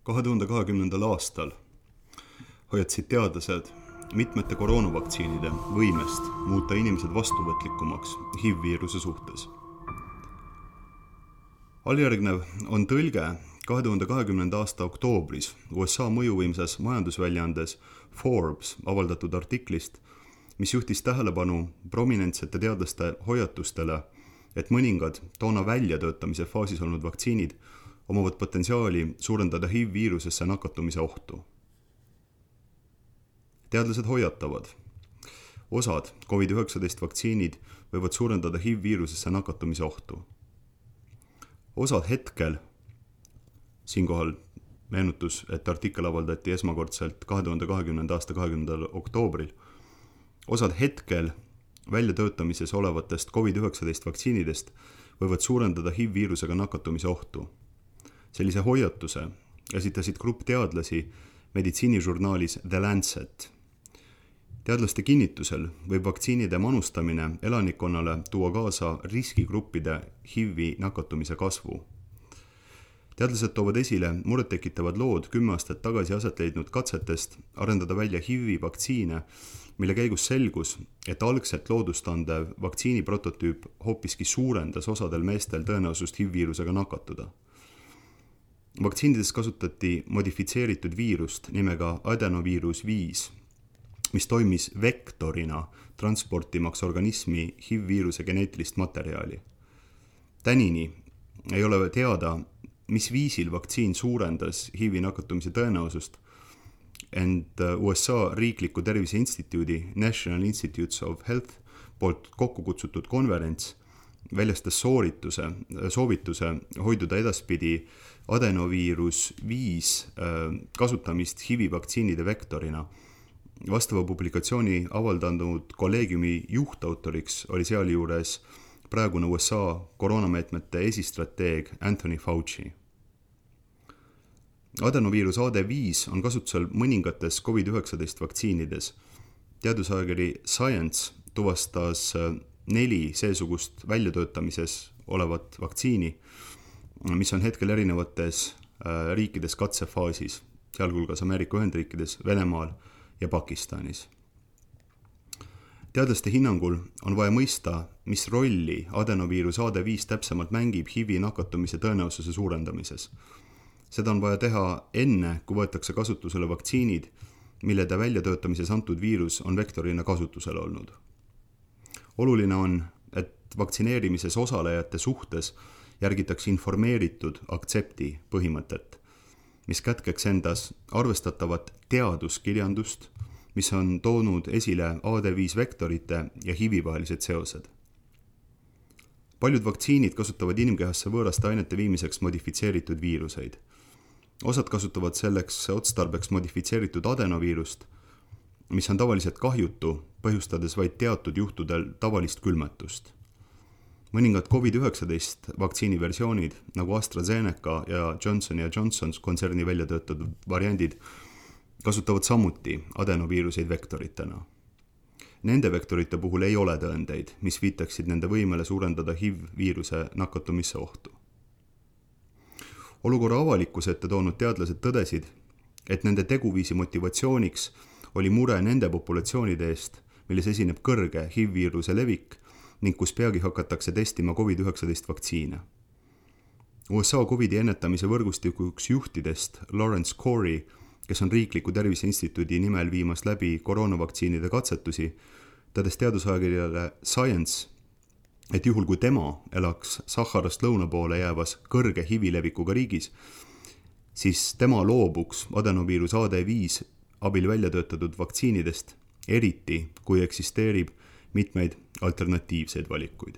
2020. aastal hoiatasid teadlased mitmete koroonavaktsiinide võimest muuta inimesed vastuvõtlikumaks HIV-viiruse suhtes. Alljärgnev on tõlge 2020. aasta oktoobris USA mõjuvõimsas majandusväljaandes Forbes avaldatud artiklist, mis juhtis tähelepanu prominentsete teadlaste hoiatustele, et mõningad toona väljatöötamise faasis olnud vaktsiinid omavad potentsiaali suurendada HIV-viirusesse nakatumise ohtu. Teadlased hoiatavad, osad COVID-19 vaktsiinid võivad suurendada HIV-viirusesse nakatumise ohtu. Osad hetkel, siinkohal meenutus, et artikkel avaldati esmakordselt 2020. aasta 20. oktoobril, osad hetkel väljatöötamises olevatest COVID-19 vaktsiinidest võivad suurendada HIV-viirusega nakatumise ohtu. Sellise hoiatuse esitasid grupp teadlasi meditsiinižurnaalis The Lancet. Teadlaste kinnitusel võib vaktsiinide manustamine elanikkonnale tuua kaasa riskigruppide HIV-i nakatumise kasvu. Teadlased toovad esile murettekitavad lood 10 aastat tagasi aset leidnud katsetest arendada välja HIV-i vaktsiine, mille käigus selgus, et algselt loodustandev vaktsiini prototüüp hoopiski suurendas osadel meestel tõenäosust HIV-viirusega nakatuda. Vaktsiinides kasutati modifitseeritud viirust nimega adenoviirus 5, mis toimis vektorina transportimaks organismi HIV-viiruse geneetilist materjali. Tänini ei ole teada, mis viisil vaktsiin suurendas HIV-i nakatumise tõenäosust, ent USA riikliku tervise instituudi National Institutes of Health poolt kokku kutsutud konverents väljastas soovituse hoiduda edaspidi adenoviirus 5 kasutamist HIV-vaktsiinide vektorina. Vastava publikatsiooni avaldanud kolleegiumi juhtautoriks oli sealjuures praegune USA koroonameetmete esistrateeg Anthony Fauci. Adenoviirus AD5 on kasutusel mõningates COVID-19 vaktsiinides. Teadusajakiri Science tuvastas 4 seesugust väljatöötamises olevat vaktsiini, mis on hetkel erinevates riikides katsefaasis, sealhulgas Ameerika Ühendriikides, Venemaal ja Pakistanis. Teadlaste hinnangul on vaja mõista, mis rolli adenoviirus AD5 täpsemalt mängib HIV-i nakatumise tõenäosuse suurendamises. Seda on vaja teha enne, kui võetakse kasutusele vaktsiinid, millede väljatöötamises antud viirus on vektorina kasutusel olnud. Oluline on, et vaktsineerimises osalejate suhtes järgitakse informeeritud aktsepti põhimõtet, mis kätkeks endas arvestatavat teaduskirjandust, mis on toonud esile AD5 vektorite ja HIV-i vahelised seosed. Paljud vaktsiinid kasutavad inimkehasse võõraste ainete viimiseks modifitseeritud viiruseid. Osad kasutavad selleks otstarbeks modifitseeritud adenoviirust, mis on tavaliselt kahjutu, põhjustades vaid teatud juhtudel tavalist külmetust. Mõningad COVID-19 vaktsiiniversioonid, nagu AstraZeneca ja Johnson & Johnson kontserni väljatöötatud variandid, kasutavad samuti adenoviiruseid vektoritena. Nende vektorite puhul ei ole tõendeid, mis viitaksid nende võimele suurendada HIV-viiruse nakatumise ohtu. Olukorra avalikkuse ette toonud teadlased tõdesid, et nende teguviisi motivatsiooniks oli mure nende populatsioonide eest, milles esineb kõrge HIV-viiruse levik ning kus peagi hakatakse testima COVID-19 vaktsiine. USA COVID-i ennetamise võrgustikuks juhtidest Lawrence Corey, kes on riikliku tervise instituudi nimel viimas läbi koroonavaktsiinide katsetusi, tõdes teadusajakirjale Science, et juhul kui tema elaks Saharast lõuna poole jäävas kõrge HIV-i levikuga riigis, siis tema loobuks adenoviirus AD5 abil väljatöötatud vaktsiinidest, eriti kui eksisteerib mitmeid alternatiivseid valikuid.